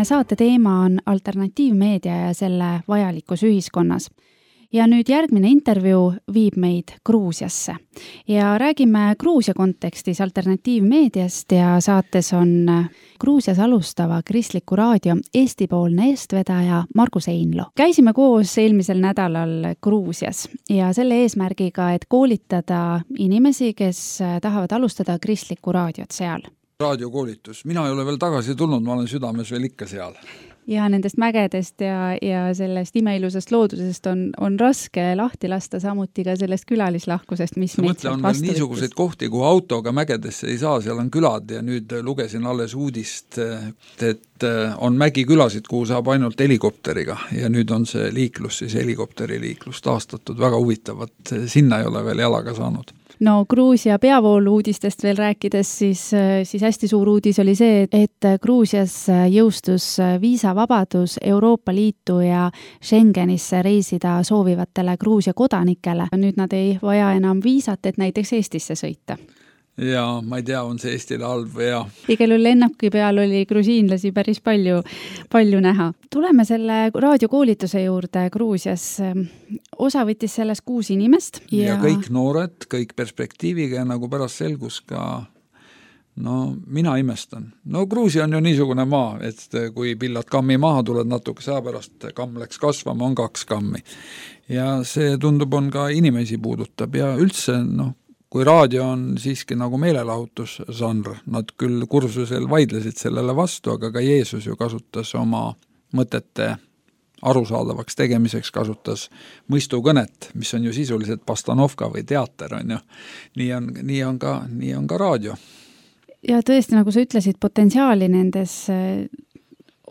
meie saate teema on alternatiivmeedia ja selle vajalikkus ühiskonnas. Ja nüüd järgmine intervjuu viib meid Gruusiasse ja räägime Gruusia kontekstis alternatiivmeediast ja saates on Gruusias alustava kristliku raadio Eesti-poolne eestvedaja Margus Einlo. Käisime koos eelmisel nädalal Gruusias ja selle eesmärgiga, et koolitada inimesi, kes tahavad alustada kristlikku raadiot seal. Raadiokoolitus. Mina ei ole veel tagasi tulnud, ma olen südames veel ikka seal. Ja nendest mägedest ja, ja sellest imeilusast loodusest on, on raske lahti lasta, samuti ka sellest külalislahkusest, mis meid sealt vastu võttis. Niisuguseid kohti, kuhu autoga mägedesse ei saa, seal on külad ja nüüd lugesin alles uudist, et on mägikülasid, kuhu saab ainult helikopteriga ja nüüd on see liiklus, siis helikopteri liiklus taastatud, väga huvitavat, sinna ei ole veel jalaga saanud. No Gruusia peavoolu uudistest veel rääkides, siis, siis hästi suur uudis oli see, et Gruusias jõustus viisavabadus Euroopa Liitu ja Schengenisse reisida soovivatele Gruusia kodanikele. Nüüd nad ei vaja enam viisat, et näiteks Eestisse sõita. Ja ma ei tea, on see Eestile halb või ja. Igal juhul lennaki peal oli grusiinlasi päris palju, palju näha. Tuleme selle raadiokoolituse juurde Gruusias. Osa võttis selles kuus inimest. Ja, ja kõik noored, kõik perspektiiviga ja nagu pärast selgus ka, no mina imestan. No Gruusia on ju niisugune maa, et kui pillad kammi maha tuled natuke saa pärast, kamm läks kasvama, on kaks kammi. Ja see tundub on ka inimesi puudutab ja üldse, noh, kui raadio on siiski nagu meelelahutusžanr, nad küll kursusel vaidlesid sellele vastu, aga ka Jeesus ju kasutas oma mõtete arusaadavaks tegemiseks, kasutas mõistukõnet, mis on ju sisuliselt pastanovka või teater, on ju. Nii on, nii on ka, nii on ka raadio. Ja tõesti, nagu sa ütlesid, potentsiaali nendes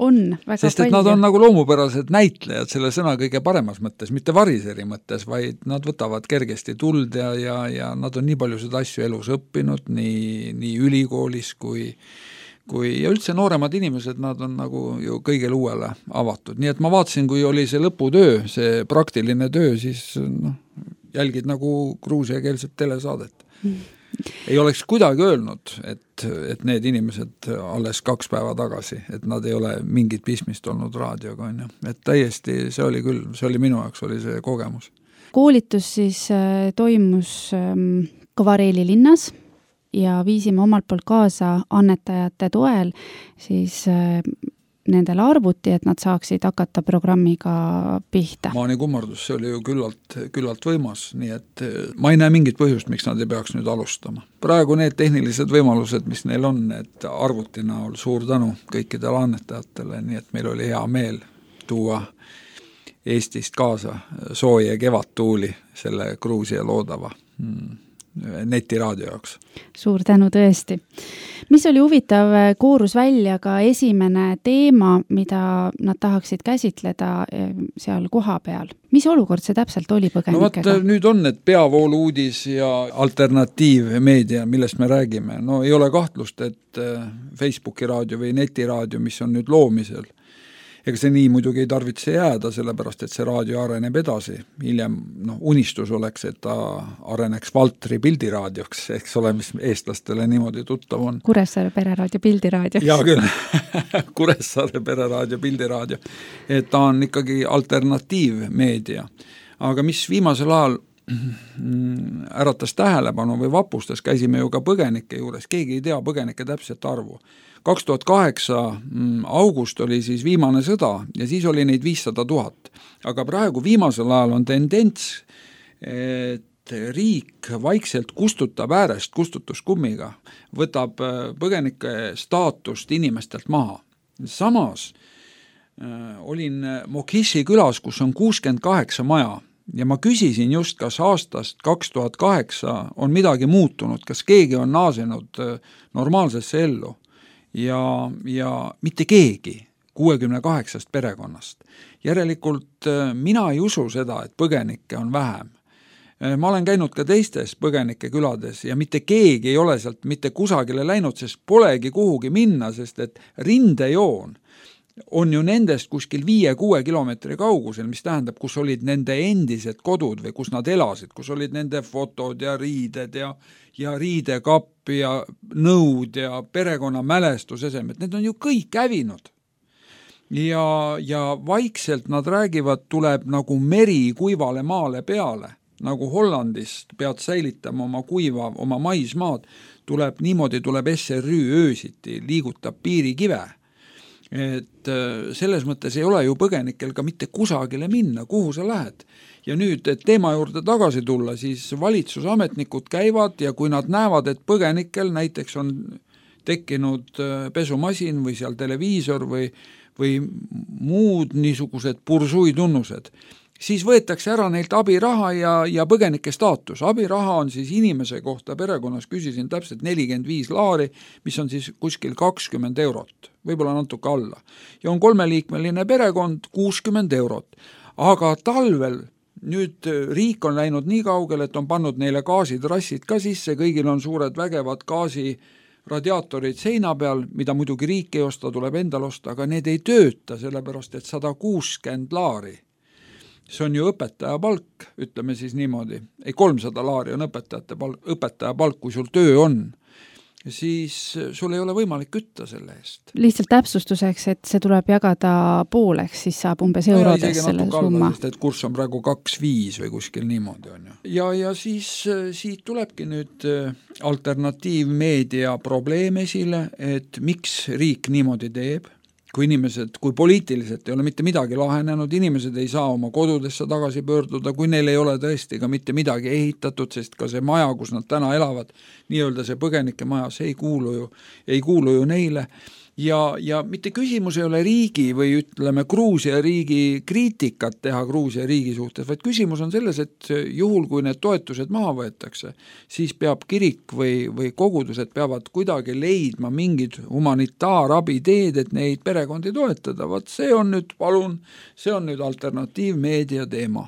on väga Sest, et palju. Nad on nagu loomupärased näitlejad selle sõna kõige paremas mõttes, mitte variseri mõttes, vaid nad võtavad kergesti tuld ja, ja, ja nad on nii palju seda asju elus õppinud, nii, nii ülikoolis kui, kui ja üldse nooremad inimesed, nad on nagu ju kõigele uuele avatud. Nii et ma vaatasin, kui oli see lõputöö, see praktiline töö, siis no, jälgid nagu gruusiakeelset telesaadet. Mm. Ei oleks kuidagi öelnud, et, et need inimesed alles kaks päeva tagasi, et nad ei ole mingit pismist olnud raadioga, on ju. Et täiesti, see oli küll, see oli minu jaoks, oli see kogemus. Koolitus siis toimus Kavareeli linnas ja viisime omalt poolt kaasa annetajate toel siis nendele arvuti, et nad saaksid hakata programmiga pihta. Maani kummardus, see oli ju küllalt, küllalt võimas, nii et ma ei näe mingit põhjust, miks nad ei peaks nüüd alustama. Praegu need tehnilised võimalused, mis neil on, et arvuti näol suur tänu kõikidele annetajatele, nii et meil oli hea meel tuua Eestist kaasa sooja kevadtuuli selle Gruusia loodava hmm. netiraadio jaoks. Suur tänu tõesti. Mis oli huvitav, koorus välja ka esimene teema, mida nad tahaksid käsitleda seal koha peal. Mis olukord see täpselt oli põgenikega? No vaat, nüüd on need peavoolu uudis ja alternatiivmeedia, millest me räägime. No ei ole kahtlust, et Facebooki raadio või netiraadio, mis on nüüd loomisel, ega see nii muidugi ei tarvitse jääda, sellepärast, et see raadio areneb edasi. Hiljem no, unistus oleks, et ta areneks Valtri pildiraadioks, eks ole, mis eestlastele niimoodi tuttav on. Kuressaare pereraadio pildiraadio. Jaa küll, Kuressaare pereraadio pildiraadio. Et ta on ikkagi alternatiivmeedia. Aga mis viimasel ajal äratas tähelepanu või vapustas, käisime ju ka põgenike juures, keegi ei tea põgenike täpset arvu. kaks tuhat kaheksa august oli siis viimane sõda ja siis oli neid viissada tuhat. Aga praegu viimasel ajal on tendents, et riik vaikselt kustutab äärest kustutuskummiga, võtab põgenike staatust inimestelt maha. Samas olin Mokishi külas, kus on kuuskümmend kaheksa maja ja ma küsisin just, kas aastast kaks tuhat kaheksa on midagi muutunud, kas keegi on naasenud normaalsesse ellu. Ja, ja mitte keegi kuuekümne kaheksast perekonnast. Järelikult mina ei usu seda, et põgenikke on vähem. Ma olen käinud ka teistes põgenike külades ja mitte keegi ei ole sealt mitte kusagile läinud, sest polegi kuhugi minna, sest et rindejoon on ju nendest kuskil viie-kuue kilomeetri kaugusel, mis tähendab, kus olid nende endised kodud või kus nad elasid, kus olid nende fotod ja riided ja, ja riidekapp ja nõud ja perekonna mälestusesemed, need on ju kõik hävinud. ja, ja vaikselt nad räägivad, tuleb nagu meri kuivale maale peale, nagu Hollandist pead säilitama oma kuiva, oma maismaad, tuleb niimoodi, tuleb S R Ü öösiti, liigutab piirikive. Et selles mõttes ei ole ju põgenikel ka mitte kusagile minna, kuhu sa lähed. Ja nüüd, et teema juurde tagasi tulla, siis valitsusametnikud käivad ja kui nad näevad, et põgenikel näiteks on tekkinud pesumasin või seal televiisor või, või muud niisugused pursuitunnused, siis võetakse ära neilt abiraha ja, ja põgenike staatus. Abiraha on siis inimese kohta, perekonnas küsisin täpselt nelikümmend viis laari, mis on siis kuskil kakskümmend eurot, võib-olla natuke alla. Ja on kolmeliikmeline perekond, kuuskümmend eurot. Aga talvel nüüd riik on läinud nii kaugel, et on pannud neile gaasitrassid ka sisse, kõigil on suured vägevad gaasi radiaatorid seina peal, mida muidugi riik ei osta, tuleb endal osta, aga need ei tööta, sellepärast et sada kuuskümmend laari. See on ju õpetaja palk, ütleme siis niimoodi. Ei, kolmsada laari on õpetajate palk, õpetaja palk, kui sul töö on, siis sul ei ole võimalik kütta selle eest. Lihtsalt täpsustuseks, et see tuleb jagada pooleks, siis saab umbes eurodes selle summa. Sest, et kurs on praegu kaks viis või kuskil niimoodi on ju. Ja, ja siis siit tulebki nüüd alternatiivmeedia probleem esile, et miks riik niimoodi teeb, kui inimesed, kui poliitiliselt ei ole mitte midagi lahenenud, inimesed ei saa oma kodudesse tagasi pöörduda, kui neil ei ole tõesti ka mitte midagi ehitatud, sest ka see maja, kus nad täna elavad, nii-öelda see põgenike maja, see ei kuulu ju, ei kuulu ju neile. Ja, ja mitte küsimus ei ole riigi või ütleme Gruusia riigi kriitikat teha Gruusia riigi suhtes, vaid küsimus on selles, et juhul kui need toetused maha võetakse, siis peab kirik või, või kogudused peavad kuidagi leidma mingid humanitaarabi teed, et neid perekondi toetada. Vaat see on nüüd, palun, see on nüüd alternatiivmeedia teema.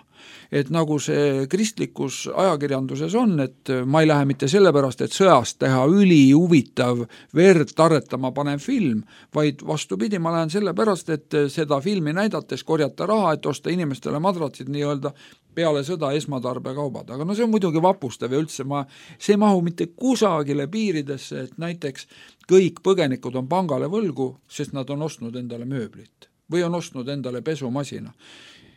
Et nagu see kristlikus ajakirjanduses on, et ma ei lähe mitte sellepärast, et sõjast teha üli huvitav verd tarretama panev film, vaid vastupidi, ma lähen sellepärast, et seda filmi näidates korjata raha, et osta inimestele madratsid nii-öelda peale sõda esmatarbekaubad. Aga no see on muidugi vapustav ja üldse ma, see ei mahu mitte kusagile piiridesse, et näiteks kõik põgenikud on pangale võlgu, sest nad on ostnud endale mööblit või on ostnud endale pesumasina.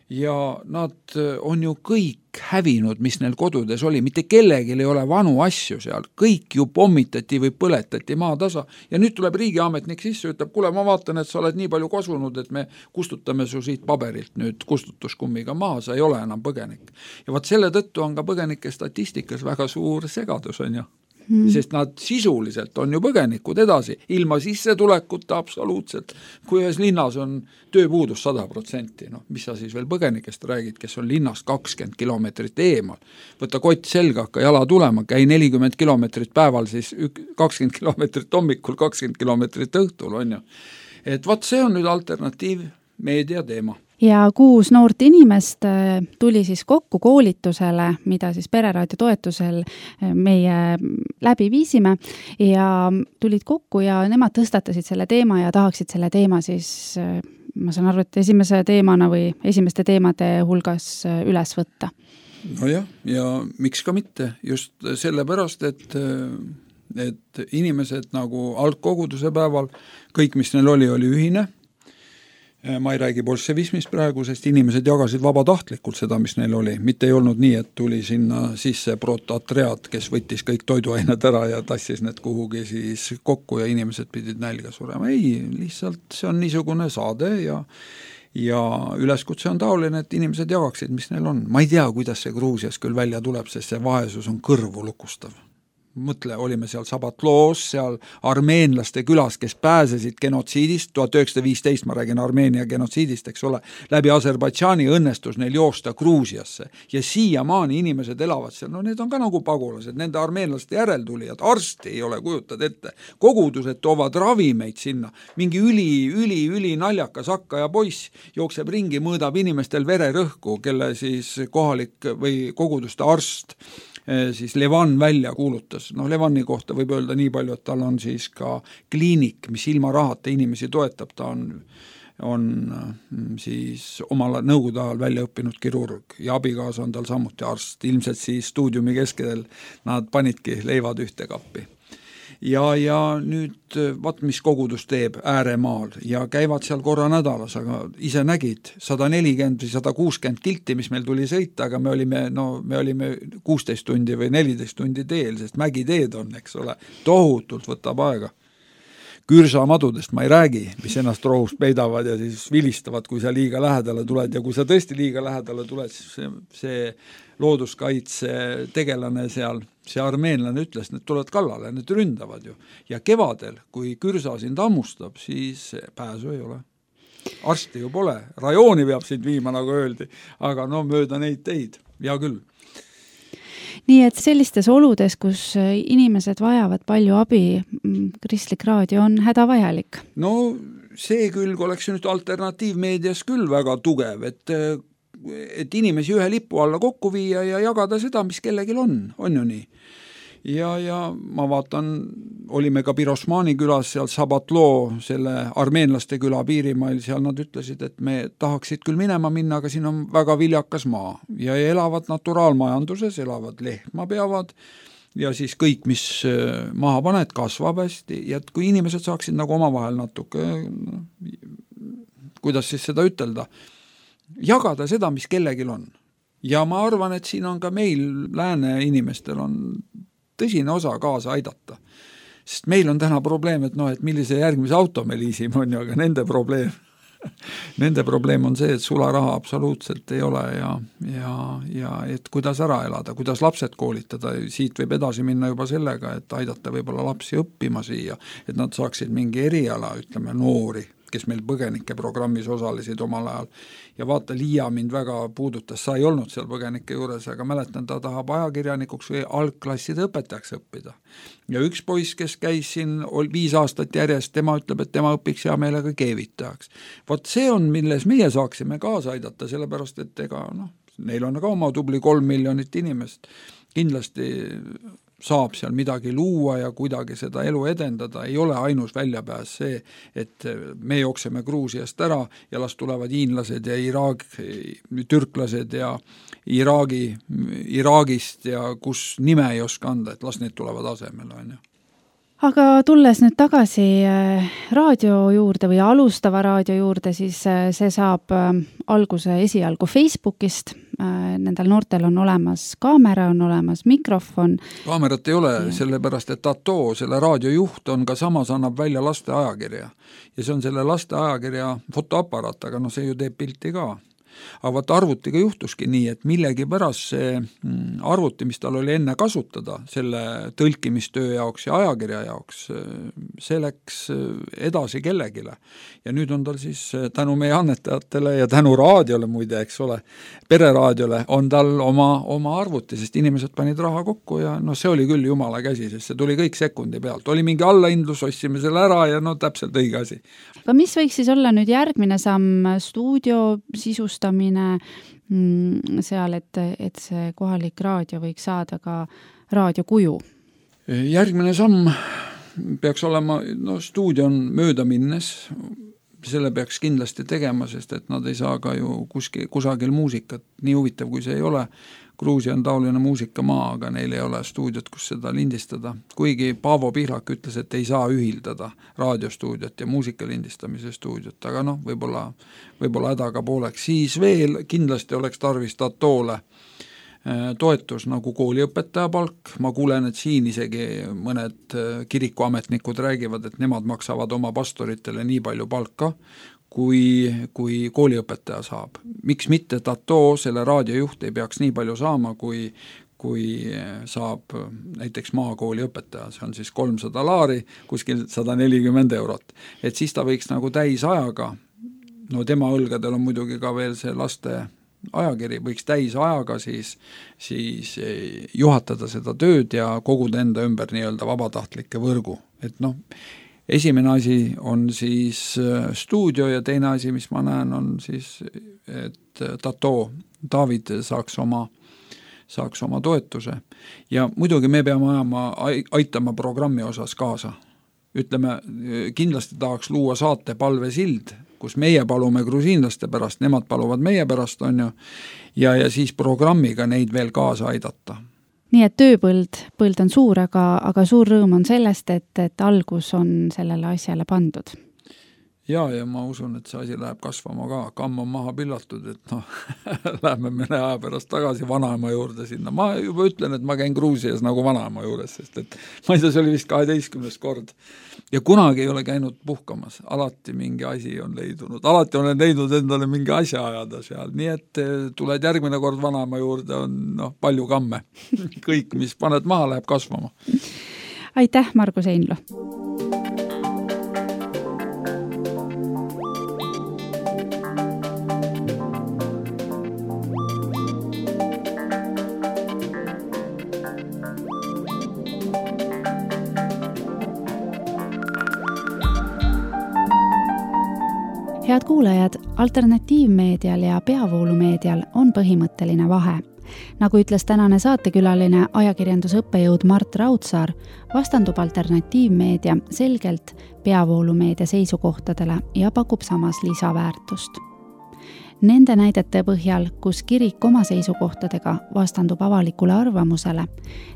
Ja nad on ju kõik hävinud, mis neil kodudes oli, mitte kellegi ei ole vanu asju seal, kõik ju pommitati või põletati maa tasa ja nüüd tuleb riigiametnik sisse, ütleb, kuule, ma vaatan, et sa oled nii palju kasunud, et me kustutame su siit paberilt nüüd kustutuskummiga maha, sa ei ole enam põgenik. Ja vaat selle tõttu on ka põgenike statistikas väga suur segadus, on ju. Hmm. Sest nad sisuliselt on ju põgenikud edasi, ilma sissetulekuta absoluutselt. Kui ühes linnas on tööpuudus sada protsenti, no, mis sa siis veel põgenikest räägid, kes on linnast kakskümmend kilomeetrit eemal. Võta kott selga, hakka jala tulema, käi nelikümmend kilomeetrit päeval, siis kakskümmend kilomeetrit hommikul, kakskümmend kilomeetrit õhtul on ju. Et vaat see on nüüd alternatiiv meedia teema. Ja kuus noort inimest tuli siis kokku koolitusele, mida siis Pereraadio toetusel meie läbi viisime ja tulid kokku ja nemad tõstatasid selle teema ja tahaksid selle teema siis, ma saan aru, et esimese teemana või esimeste teemade hulgas üles võtta. No jah, ja miks ka mitte, just sellepärast, et et inimesed nagu algkoguduse päeval, kõik mis neil oli, oli ühine. Ma ei räägi bolševismist praegu, sest inimesed jagasid vabatahtlikult seda, mis neil oli. Mitte ei olnud nii, et tuli sinna sisse protoatread, kes võttis kõik toiduained ära ja tassis need kuhugi siis kokku ja inimesed pidid nälga surema. Ei, lihtsalt see on niisugune saade ja, ja üleskutse on taoline, et inimesed jagaksid, mis neil on. Ma ei tea, kuidas see Gruusias küll välja tuleb, sest see vaesus on kõrvu lukustav. Mõtle, olime seal Sabatloos, seal armeenlaste külas, kes pääsesid genotsiidist, tuhat üheksasada viisteist, ma räägin Armeenia genotsiidist, eks ole, läbi Aserbaidžaani õnnestus neil joosta Gruusiasse ja siiamaani inimesed elavad seal, no need on ka nagu pagulased, nende armeenlaste järeltulijad, arsti ei ole, kujutad ette, kogudused toovad ravimeid sinna, mingi üli, üli, üli naljakas hakkaja poiss jookseb ringi, mõõdab inimestel vererõhku, kelle siis kohalik või koguduste arst siis Levan välja kuulutas. No Levani kohta võib öelda nii palju, et tal on siis ka kliinik, mis ilma rahata inimesi toetab, ta on, on siis omal nõukogude ajal välja õppinud kirurg ja abikaasa on tal samuti arst. Ilmselt siis stuudiumi keskedel nad panidki leivad ühte kappi. ja, ja nüüd vaat mis kogudus teeb ääremaal ja käivad seal korra nädalas, aga ise nägid sada nelikümmend või sada kuuskümmend kilti, mis meil tuli sõita, aga me olime, no me olime kuusteist tundi või neliteist tundi teel, sest mägiteed on, eks ole, tohutult võtab aega. Kürsamadudest ma ei räägi, mis ennast rohust peidavad ja siis vilistavad, kui sa liiga lähedale tuled ja kui sa tõesti liiga lähedale tuled, siis see, see looduskaitse tegelane seal, see armeenlane ütles, need tulevad kallale, need ründavad ju. Ja kevadel, kui kürsa sind ammustab, siis pääsu ei ole. Arsti ju pole, rajooni peab sind viima, nagu öeldi, aga no mööda neid teid, ja küll. Nii et sellistes oludes, kus inimesed vajavad palju abi, kristlik raadio on hädavajalik. No see külg oleks nüüd alternatiivmeedias küll väga tugev, et, et inimesi ühe lipu alla kokku viia ja jagada seda, mis kellelgi on, on ju nii. Ja, ja ma vaatan, olime ka Pirosmani külas seal Sabatloo, selle armeenlaste küla piirimail, seal nad ütlesid, et me tahaksid küll minema minna, aga siin on väga viljakas maa ja elavad naturaalmajanduses, elavad lehma peavad ja siis kõik, mis maha paned, kasvab hästi ja et kui inimesed saaksid nagu omavahel natuke, kuidas siis seda ütelda, jagada seda, mis kellelgi on. Ja ma arvan, et siin on ka meil lääne inimestel on tõsine osa kaasa aidata. Sest meil on täna probleem, et noh, et millise järgmise auto me liisime on ju, aga nende probleem, nende probleem on see, et sularaha absoluutselt ei ole ja, ja, ja et kuidas ära elada, kuidas lapsed koolitada, siit võib edasi minna juba sellega, et aidata võib-olla lapsi õppima siia, et nad saaksid mingi eriala, ütleme noori, kes meil põgenike programmis osalesid omal ajal. Ja vaata, Liia mind väga puudutas, sa ei olnud seal põgenike juures, aga mäletan, ta tahab ajakirjanikuks või algklasside õpetajaks õppida. Ja üks poiss, kes käis siin viis aastat järjest, tema ütleb, et tema õpiks hea meelega keevitajaks. Vaat see on, milles meie saaksime kaasa aidata, sellepärast, et ega, noh, neil on ka oma tubli kolm miljonit inimest. Kindlasti saab seal midagi luua ja kuidagi seda elu edendada, ei ole ainus väljapääs see, et me jookseme Gruusiast ära ja las tulevad hiinlased ja Iraag, türklased ja Iraagi, Iraagist ja kus nime ei oska anda, et las need tulevad asemel, on ju. Aga tulles nüüd tagasi raadio juurde või alustava raadio juurde, siis see saab alguse esialgu Facebookist. Nendel noortel on olemas kaamera, on olemas mikrofon. Kaamerat ei ole, ja. Sellepärast, et Tato, selle raadiojuht on ka samas annab välja laste ajakirja. Ja see on selle laste ajakirja fotoaparaat, aga no see ju teeb pilti ka. Aga vaata arvutiga juhtuski nii, et millegi pärast see arvuti, mis tal oli enne kasutada, selle tõlkimistöö jaoks ja ajakirja jaoks, see läks edasi kellegile. Ja nüüd on tal siis tänu meie annetajatele ja tänu raadiole muide, eks ole, pereraadiole, on tal oma, oma arvuti, sest inimesed panid raha kokku ja no see oli küll jumala käsi, sest see tuli kõik sekundi pealt. Oli mingi allaindlus, ostsime selle ära ja no täpselt õige asi. Aga mis võiks siis olla nüüd järgmine samm stuudio sisustamine seal, et, et see kohalik raadio võiks saada ka raadiokuju? Järgmine samm peaks olema, no stuudio on mööda minnes, selle peaks kindlasti tegema, sest et nad ei saa ka ju kuskil, kusagil muusikat, nii huvitav kui see ei ole. Gruusia on taoline muusikamaa, aga neil ei ole stuudiot, kus seda lindistada. Kuigi Paavo Pihlak ütles, et ei saa ühildada raadiostuudiot ja muusika lindistamise stuudiot, aga noh, võib-olla, võib-olla hädaga pooleks. Siis veel kindlasti oleks tarvis Tatoole toetus nagu kooliõpetaja palk. Ma kuulen, et siin isegi mõned kirikuametnikud räägivad, et nemad maksavad oma pastoritele nii palju palka, kui, kui kooliõpetaja saab. Miks mitte Tato, selle raadiojuht ei peaks nii palju saama, kui, kui saab näiteks maakooli õpetaja, see on siis kolmsada laari, kuskil sada nelikümmend eurot. Et siis ta võiks nagu täis ajaga, no tema õlgadel on muidugi ka veel see laste ajakiri, võiks täis ajaga siis, siis juhatada seda tööd ja koguda enda ümber nii-öelda vabatahtlike võrgu. Et noh, esimene asi on siis stuudio ja teine asi, mis ma näen, on siis, et Tato, David saaks oma, saaks oma toetuse. Ja muidugi me peame ajama, aitama programmi osas kaasa. Ütleme, kindlasti tahaks luua saate palvesild, kus meie palume grusiinlaste pärast, nemad paluvad meie pärast, on ju, ja, ja siis programmiga neid veel kaasa aidata. nii et tööpõld, põld on suur, aga, aga suur rõõm on sellest, et, et algus on sellele asjale pandud. Ja, ja ma usun, et see asi läheb kasvama ka, kamm on maha pillatud, et noh, lähme mõne aja pärast tagasi vanaema juurde sinna. Ma juba ütlen, et ma käin Gruusias nagu vanaema juures, sest et ma ei tea, see oli vist kaheteistkümnes kord. Ja kunagi ei ole käinud puhkamas, alati mingi asi on leidunud, alati olen leidnud endale mingi asja ajada seal, nii et tuled järgmine kord vanaema juurde, on noh, palju kamme. Kõik, mis paned maha, läheb kasvama. Aitäh, Margus Einlo! Head kuulajad, alternatiivmeedial ja peavoolumeedial on põhimõtteline vahe. Nagu ütles tänane saatekülaline ajakirjandusõppejõud Mart Raudsaar, vastandub alternatiivmeedia selgelt peavoolumeedia seisukohtadele ja pakub samas lisaväärtust. Nende näidete põhjal, kus kirik oma seisukohtadega vastandub avalikule arvamusele,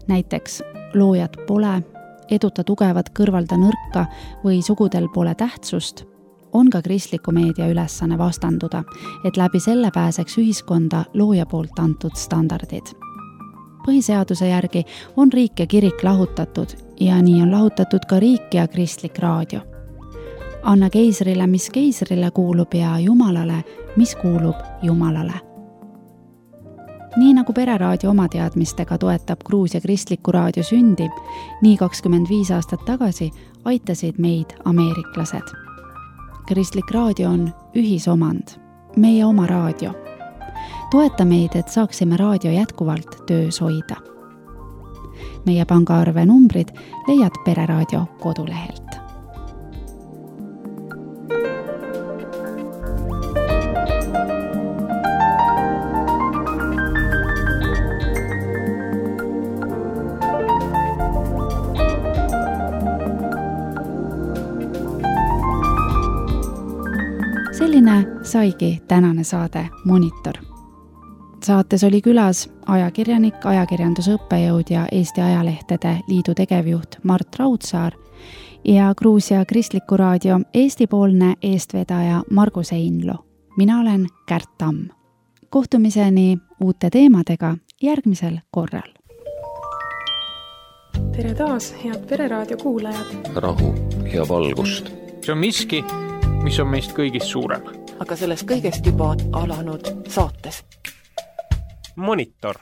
näiteks loojad pole, eduta tugevat kõrvalda nõrka või sugudel pole tähtsust, on ka kristliku meedia ülesanne vastanduda, et läbi selle pääseks ühiskonda looja poolt antud standardid. Põhiseaduse järgi on riik ja kirik lahutatud ja nii on lahutatud ka riik ja kristlik raadio. Anna keisrile, mis keisrile kuulub ja Jumalale, mis kuulub Jumalale. Nii nagu Pereraadio oma teadmistega toetab Gruusia kristliku raadio sündi, nii kakskümmend viis aastat tagasi aitasid meid ameeriklased. Kristlik raadio on ühisomand, meie oma raadio. Toeta meid, et saaksime raadio jätkuvalt töös hoida. Meie pangaarve numbrid leiad Pereraadio kodulehelt. Selline saigi tänane saade Monitor. Saates oli külas ajakirjanik, ajakirjandusõppejõud ja Eesti Ajalehtede Liidu tegevjuht Mart Raudsaar ja Gruusia kristliku raadio Eesti-poolne eestvedaja Margus Einlo. Mina olen Kärt Tamm. Kohtumiseni uute teemadega järgmisel korral. Tere taas, head Pereraadio kuulajad! Rahu ja valgust. See on miski, mis on meist kõigist suurem. Aga sellest kõigest juba alanud saates. Monitor.